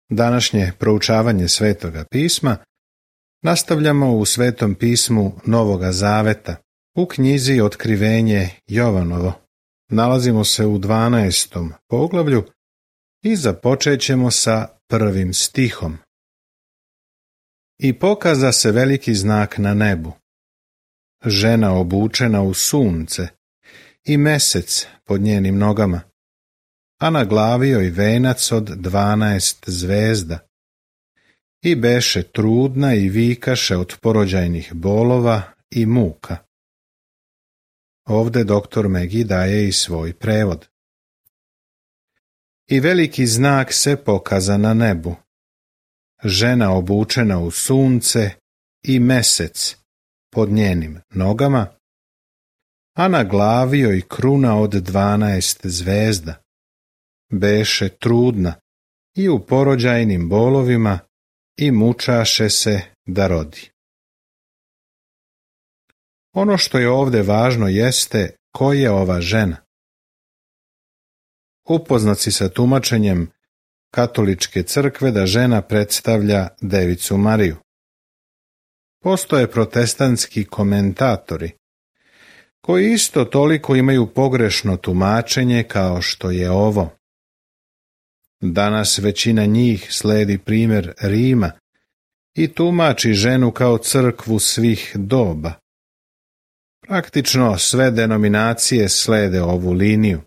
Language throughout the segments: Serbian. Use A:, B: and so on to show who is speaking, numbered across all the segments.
A: Današnje proučavanje Svetoga pisma nastavljamo u Svetom pismu Novoga Zaveta, u knjizi Otkrivenje Jovanovo. Nalazimo se u 12. poglavlju i započet ćemo sa 1. stihom. I pokaza se veliki znak na nebu. Žena obučena u sunce i mesec pod njenim nogama, a na glavi joj venac od 12 zvezda. I beše trudna i vikaše od porođajnih bolova i muka. Ovde doktor Megi daje i svoj prevod. I veliki znak se pokaza na nebu. Žena obučena u sunce i mesec pod njenim nogama, a na glavi joj kruna od 12 zvezda. Beše trudna i u porođajnim bolovima i mučaše se da rodi. Ono što je ovde važno jeste ko je ova žena. Upoznat si sa tumačenjem katoličke crkve da žena predstavlja Devicu Mariju. Postoje protestantski komentatori koji isto toliko imaju pogrešno tumačenje kao što je ovo. Danas većina njih sledi primjer Rima i tumači ženu kao crkvu svih doba. Praktično sve denominacije slede ovu liniju.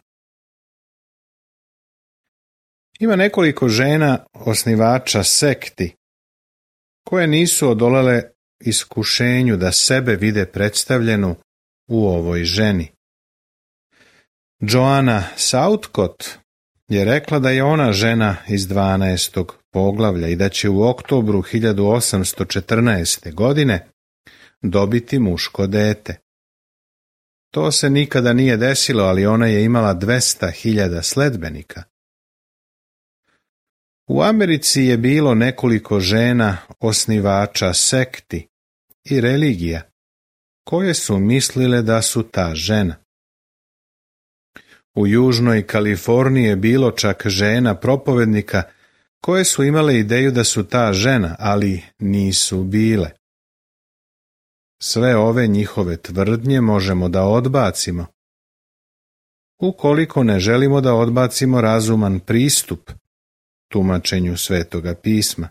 A: Ima nekoliko žena osnivača sekti koje nisu odolele iskušenju da sebe vide predstavljenu u ovoj ženi. Joanna Southcott je rekla da je ona žena iz 12. poglavlja i da će u oktobru 1814. godine dobiti muško dete. To se nikada nije desilo, ali ona je imala 200.000 sledbenika. U Americi je bilo nekoliko žena osnivača sekti i religija koje su mislile da su ta žena. U Južnoj Kaliforniji je bilo čak žena propovednika koje su imale ideju da su ta žena, ali nisu bile. Sve ove njihove tvrdnje možemo da odbacimo, ukoliko ne želimo da odbacimo razuman pristup tumačenju Svetoga pisma.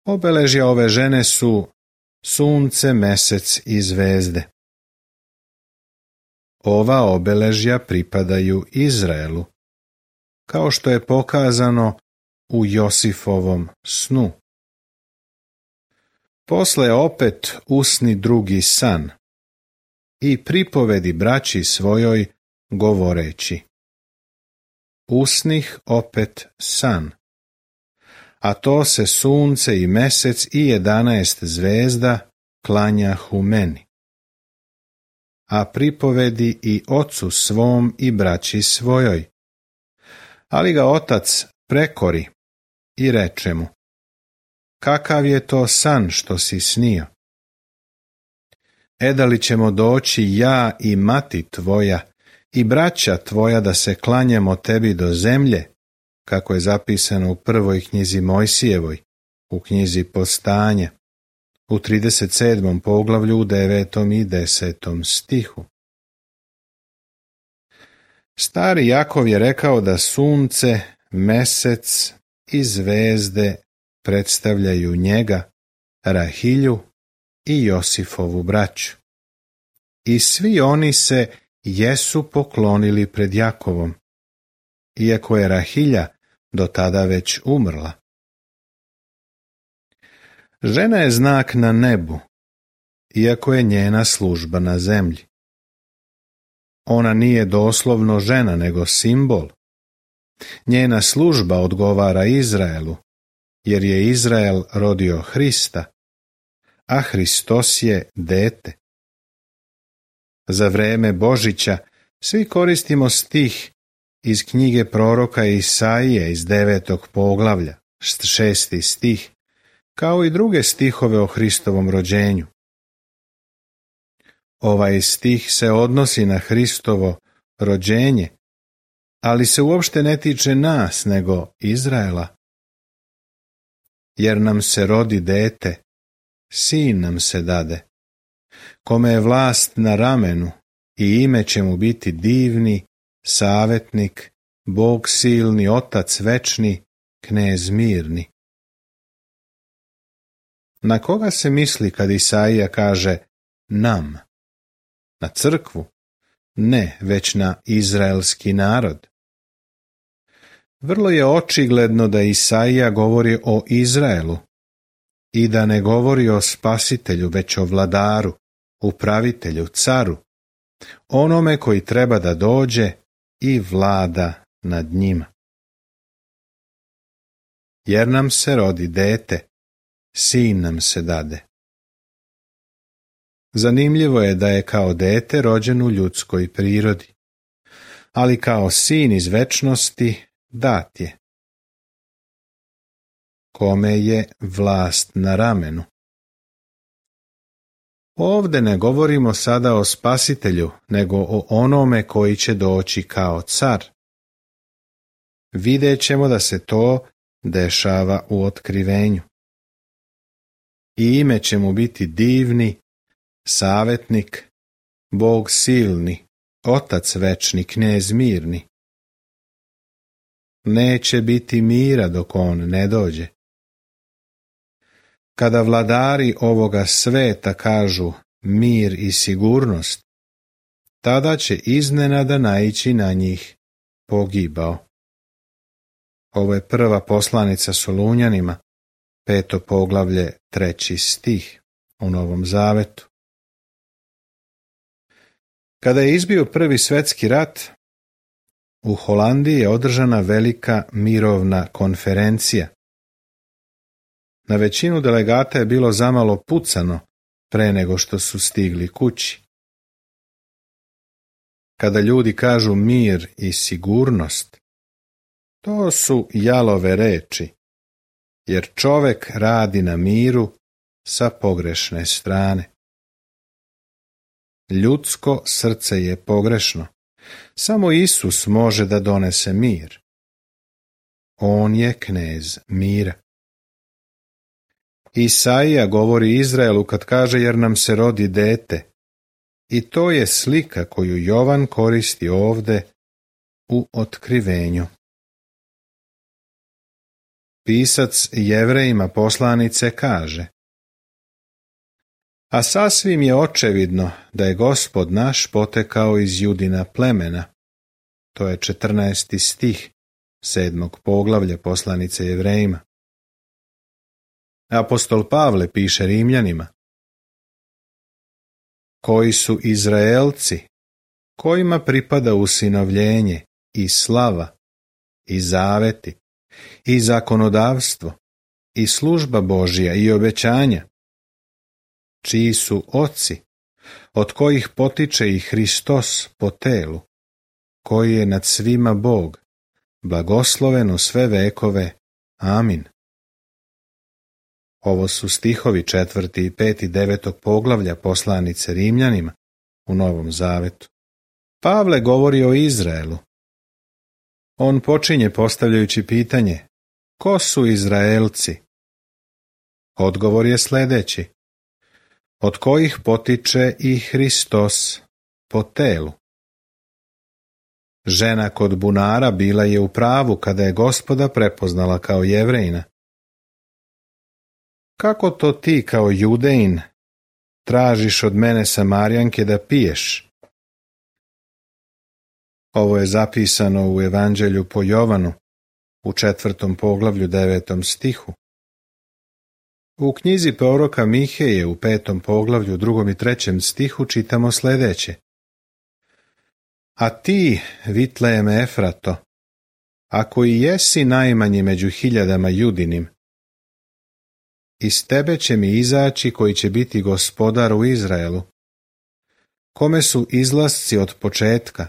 A: Obeležja ove žene su sunce, mesec i zvezde. Ova obeležja pripadaju Izraelu, kao što je pokazano u Josifovom snu. Posle opet usni drugi san i pripovedi braći svojoj govoreći. Usnih opet san, a to se sunce i mesec i 11 zvezda klanjahu meni. A pripovedi i ocu svom i braći svojoj. Ali ga otac prekori i reče mu: kakav je to san što si snio? Da li ćemo doći ja i mati tvoja i braća tvoja da se klanjamo tebi do zemlje, kako je zapisano u prvoj knjizi Mojsijevoj, u knjizi Postanja, u 37. poglavlju u 9. i 10. stihu. Stari Jakov je rekao da sunce, mesec i zvezde predstavljaju njega, Rahilju i Josifovu braću. I svi oni se jesu poklonili pred Jakovom, iako je Rahilja do tada već umrla. Žena je znak na nebu, iako je njena služba na zemlji. Ona nije doslovno žena, nego simbol. Njena služba odgovara Izraelu, jer je Izrael rodio Hrista, a Hristos je dete. Za vreme Božića svi koristimo stih iz knjige proroka Isaije iz 9. poglavlja, 6. stih, kao i druge stihove o Hristovom rođenju. Ovaj stih se odnosi na Hristovo rođenje, ali se uopšte ne tiče nas, nego Izraela. Jer nam se rodi dete, sin nam se dade, kome je vlast na ramenu i ime će mu biti divni, savetnik, Bog silni, Otac večni, Knez mirni. Na koga se misli kad Isaija kaže nam? Na crkvu? Ne, već na izraelski narod. Vrlo je očigledno da Isaija govori o Izraelu i da ne govori o spasitelju, već o vladaru, upravitelju, caru, onome koji treba da dođe i vlada nad njima. Jer nam se rodi dete, sin nam se dade. Zanimljivo je da je kao dete rođen u ljudskoj prirodi, ali kao sin iz večnosti dat je. Kome je vlast na ramenu. Ovde ne govorimo sada o spasitelju, nego o onome koji će doći kao car. Vidjet ćemo da se to dešava u otkrivenju. I ime će mu biti divni, savetnik, Bog silni, Otac večni, Knez mirni. Neće biti mira dok on ne dođe. Kada vladari ovoga sveta kažu mir i sigurnost, tada će iznenada naići na njih pogibao. Ovo je prva poslanica Solunjanima, 5. poglavlje, 3. stih u Novom Zavetu. Kada je izbio Prvi svjetski rat, u Holandiji je održana velika mirovna konferencija. Na većinu delegata je bilo zamalo pucano pre nego što su stigli kući. Kada ljudi kažu mir i sigurnost, to su jalove reči, jer čovek radi na miru sa pogrešne strane. Ljudsko srce je pogrešno. Samo Isus može da donese mir. On je knez mira. Isaija govori Izraelu kad kaže jer nam se rodi dete. I to je slika koju Jovan koristi ovde u otkrivenju. Pisac Jevrejima poslanice kaže: a sasvim je očevidno da je Gospod naš potekao iz Judina plemena. To je 14. stih 7. poglavlja poslanice Jevrejima. Apostol Pavle piše Rimljanima: koji su Izraelci, kojima pripada usinovljenje i slava, i zaveti, i zakonodavstvo, i služba Božja i obećanja, čiji su oci, od kojih potiče i Hristos po telu, koji je nad svima Bog, blagosloven u sve vekove. Amin. Ovo su stihovi 4. i 5. 9. poglavlja poslanice Rimljanima u Novom Zavetu. Pavle govori o Izraelu. On počinje postavljajući pitanje: ko su Izraelci? Odgovor je sljedeći: od kojih potiče i Hristos po telu. Žena kod bunara bila je u pravu kada je Gospoda prepoznala kao Jevrejina. Kako to ti kao Judejin tražiš od mene Samarijanke da piješ? Ovo je zapisano u Evanđelju po Jovanu u 4. poglavlju 9. stihu. U knjizi proroka Miheje u 5. poglavlju 2. i 3. stihu čitamo sljedeće: a ti, Vitlejeme Efrato, ako i jesi najmanji među hiljadama Judinim, iz tebe će mi izaći koji će biti gospodar u Izraelu, kome su izlasci od početka,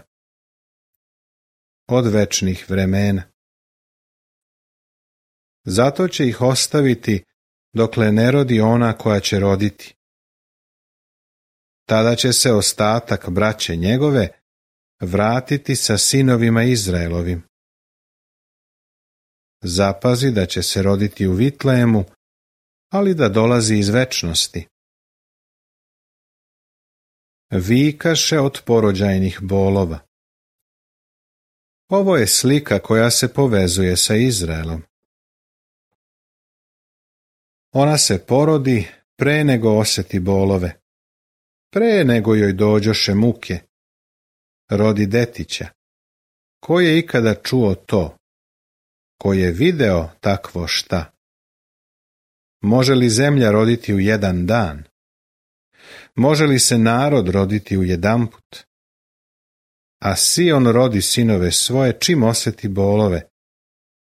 A: od večnih vremena. Zato će ih ostaviti dokle ne rodi ona koja će roditi. Tada će se ostatak braće njegove vratiti sa sinovima Izraelovim. Zapazi da će se roditi u Vitlejemu, ali da dolazi iz večnosti. Vikaše od porođajnih bolova. Ovo je slika koja se povezuje sa Izraelom. Ona se porodi pre nego osjeti bolove, pre nego joj dođoše muke. Rodi detića. Ko je ikada čuo to? Ko je video takvo šta? Može li zemlja roditi u jedan dan? Može li se narod roditi u jedanput? A Sion rodi sinove svoje čim osjeti bolove,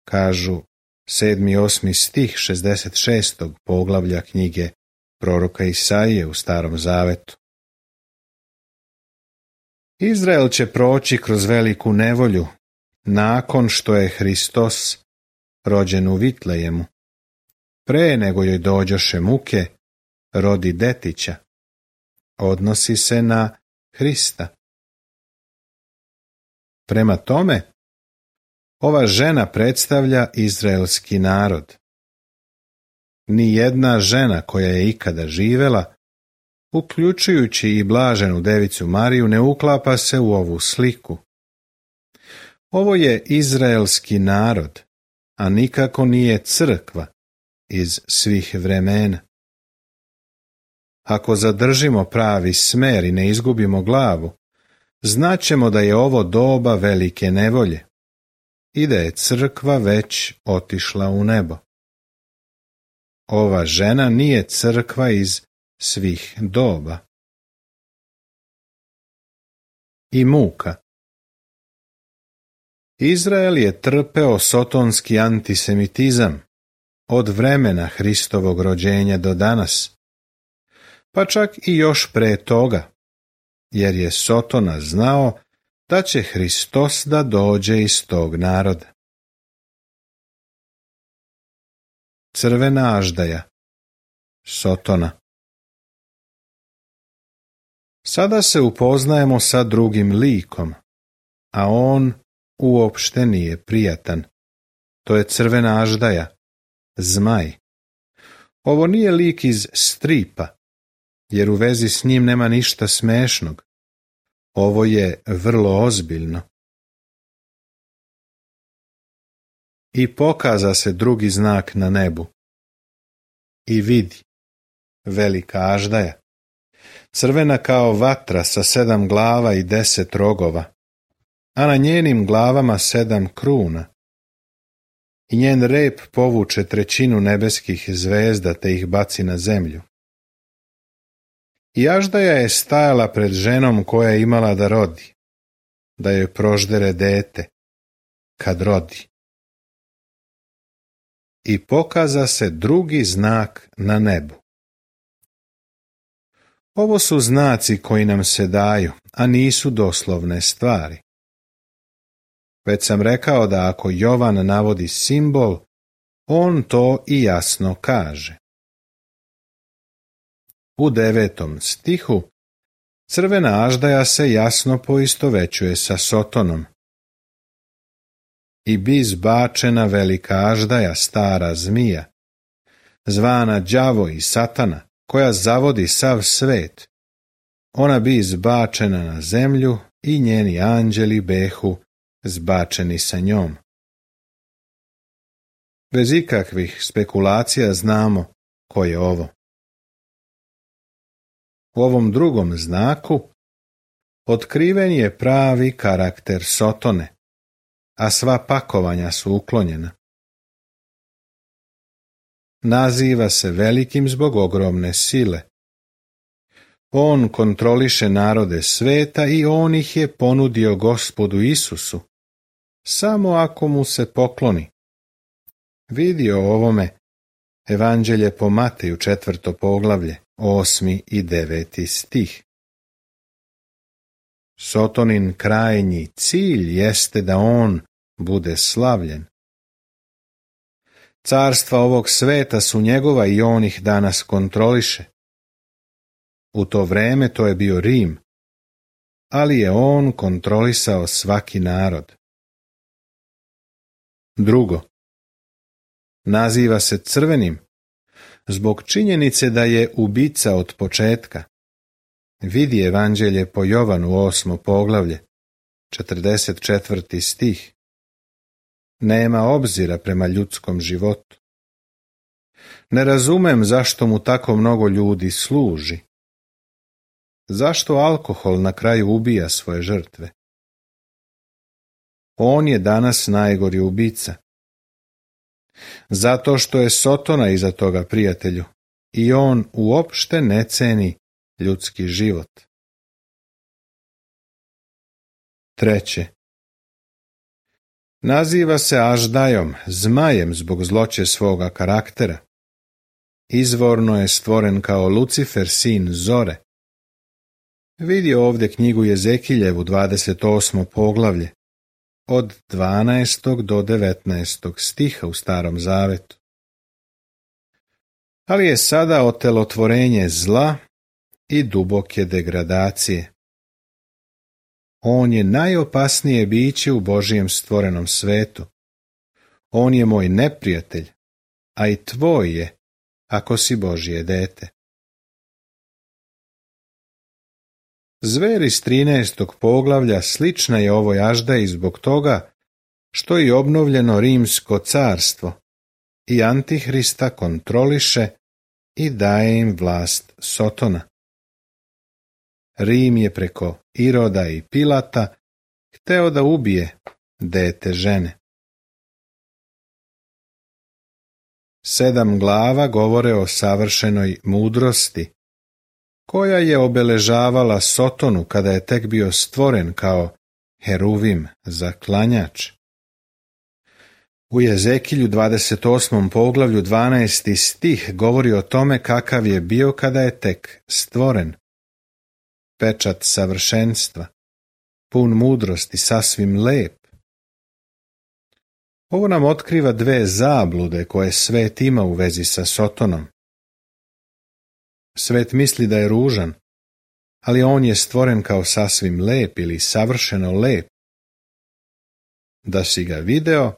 A: kažu 7. i 8. stih 66. poglavlja knjige proroka Isaije u Starom Zavetu. Izrael će proći kroz veliku nevolju nakon što je Hristos rođen u Vitlejemu. Pre nego joj dođoše muke, rodi detića. Odnosi se na Hrista. Prema tome, ova žena predstavlja izraelski narod. Nijedna žena koja je ikada živela, uključujući i blaženu devicu Mariju, ne uklapa se u ovu sliku. Ovo je izraelski narod, a nikako nije crkva iz svih vremena. Ako zadržimo pravi smer i ne izgubimo glavu, znaćemo da je ovo doba velike nevolje i da je crkva već otišla u nebo. Ova žena nije crkva iz svih doba. I muka. Izrael je trpeo sotonski antisemitizam od vremena Hristovog rođenja do danas, pa čak i još pre toga, jer je Sotona znao da će Hristos da dođe iz tog naroda. Crvena aždaja, Sotona. Sada se upoznajemo sa drugim likom, a on uopšte nije prijatan. To je crvena aždaja, zmaj. Ovo nije lik iz stripa, jer u vezi s njim nema ništa smešnog. Ovo je vrlo ozbiljno. I pokaza se drugi znak na nebu. I vidi, velika aždaja, crvena kao vatra sa 7 glava i 10 rogova, a na njenim glavama 7 kruna. I njen rep povuče 1/3 nebeskih zvezda te ih baci na zemlju. I aždaja je stajala pred ženom koja je imala da rodi, da joj proždere dete, kad rodi. I pokaza se drugi znak na nebu. Ovo su znaci koji nam se daju, a nisu doslovne stvari. Već sam rekao da ako Jovan navodi simbol, on to i jasno kaže. U 9. stihu crvena aždaja se jasno poistovećuje sa Sotonom. I bi izbačena velika aždaja, stara zmija, zvana đavo i satana, koja zavodi sav svet. Ona bi izbačena na zemlju i njeni anđeli behu zbačeni sa njom. Bez ikakvih spekulacija znamo ko je ovo. U ovom drugom znaku otkriven je pravi karakter Sotone, a sva pakovanja su uklonjena. Naziva se velikim zbog ogromne sile. On kontroliše narode sveta i on ih je ponudio Gospodu Isusu, samo ako mu se pokloni. Vidi o ovome Evanđelje po Mateju 4. poglavlje, 8. i 9. stih. Sotonin krajnji cilj jeste da on bude slavljen. Carstva ovog sveta su njegova i on ih danas kontroliše. U to vreme to je bio Rim, ali je on kontrolisao svaki narod. Drugo, naziva se crvenim zbog činjenice da je ubica od početka. Vidi Evanđelje po Jovanu 8. poglavlje, 44. stih. Nema obzira prema ljudskom životu. Ne razumem zašto mu tako mnogo ljudi služi. Zašto alkohol na kraju ubija svoje žrtve? On je danas najgori ubica. Zato što je Sotona iza toga, prijatelju, i on uopšte ne ceni ljudski život. Treće, naziva se Aždajom, zmajem zbog zloće svoga karaktera. Izvorno je stvoren kao Lucifer, sin Zore. Vidi ovdje knjigu Jezekiljevu 28. poglavlje, od 12. do 19. stiha u Starom zavetu. Ali je sada otelotvorenje zla i duboke degradacije. On je najopasnije biće u Božijem stvorenom svetu. On je moj neprijatelj, a i tvoj je, ako si Božje dete. Zver iz 13. poglavlja slična je ovoj Aždaji zbog toga što je obnovljeno Rimsko carstvo i Antihrista kontroliše i daje im vlast Sotona. Rim je preko Iroda i Pilata hteo da ubije dete žene. 7 glava govore o savršenoj mudrosti, koja je obeležavala Sotonu kada je tek bio stvoren kao heruvim za klanjač. U Jezekilju 28. poglavlju 12. stih govori o tome kakav je bio kada je tek stvoren. Pečat savršenstva, pun mudrosti, sasvim lep. Ovo nam otkriva 2 zablude koje svet ima u vezi sa Sotonom. Svet misli da je ružan, ali on je stvoren kao sasvim lep ili savršeno lep. Da si ga video,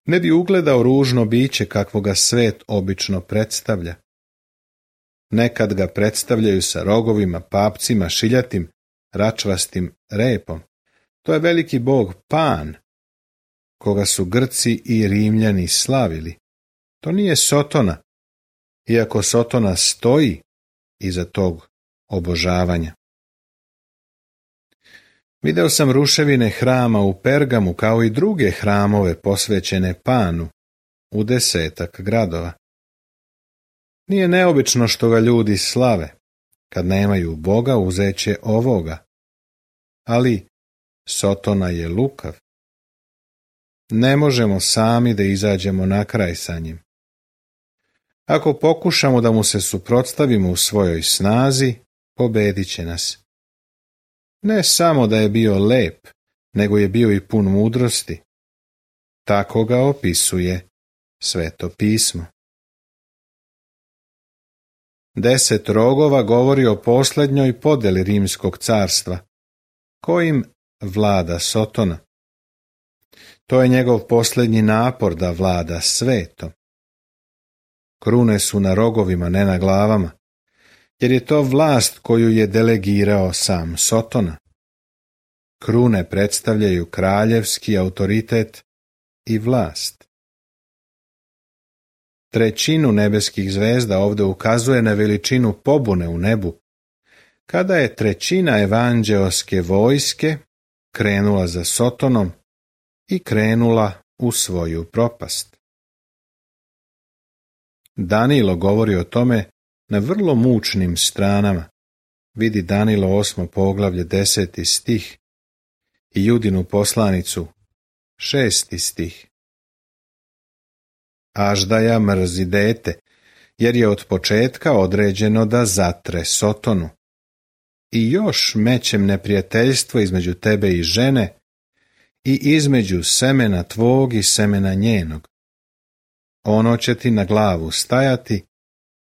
A: ne bi ugledao ružno biće kakvo ga svet obično predstavlja. Nekad ga predstavljaju sa rogovima, papcima, šiljatim, račvastim repom. To je veliki bog Pan, koga su Grci i Rimljani slavili. To nije Sotona, iako Sotona stoji iza tog obožavanja. Video sam ruševine hrama u Pergamu kao i druge hramove posvećene Panu u 10 gradova. Nije neobično što ga ljudi slave. Kad nemaju Boga, uzeće ovoga. Ali Sotona je lukav. Ne možemo sami da izađemo na kraj sa njim. Ako pokušamo da mu se suprotstavimo u svojoj snazi, pobedit će nas. Ne samo da je bio lep, nego je bio i pun mudrosti. Tako ga opisuje Sveto pismo. 10 rogova govori o posljednjoj podeli Rimskog carstva, kojim vlada Sotona. To je njegov posljednji napor da vlada svetom. Krune su na rogovima, ne na glavama, jer je to vlast koju je delegirao sam Sotona. Krune predstavljaju kraljevski autoritet i vlast. 1/3 nebeskih zvezda ovdje ukazuje na veličinu pobune u nebu, kada je 1/3 evanđeoske vojske krenula za Sotonom i krenula u svoju propast. Danilo govori o tome na vrlo mučnim stranama. Vidi Danilo 8. poglavlje 10. stih i Judinu poslanicu 6. stih. Aždaja mrzi dete, jer je od početka određeno da zatre Sotonu. I još mećem neprijateljstvo između tebe i žene i između semena tvog i semena njenog. Ono će ti na glavu stajati,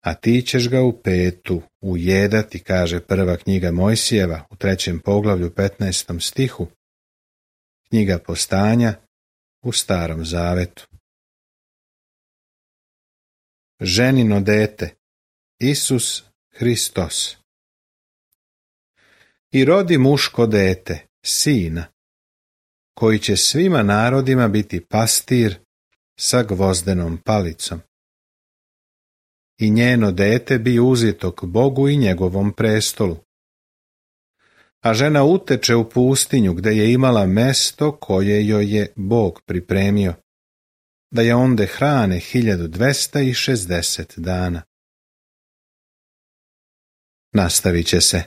A: a ti ćeš ga u petu ujedati, kaže prva knjiga Mojsijeva u 3. poglavlju 15. stihu, knjiga Postanja u Starom zavetu. Ženino dete, Isus Hristos. I rodi muško dete, sina, koji će svima narodima biti pastir sa gvozdenom palicom. I njeno dete bi uzito k Bogu i njegovom prestolu. A žena uteče u pustinju gde je imala mesto koje joj je Bog pripremio, da je onde hrane 1260 dana. Nastavit će se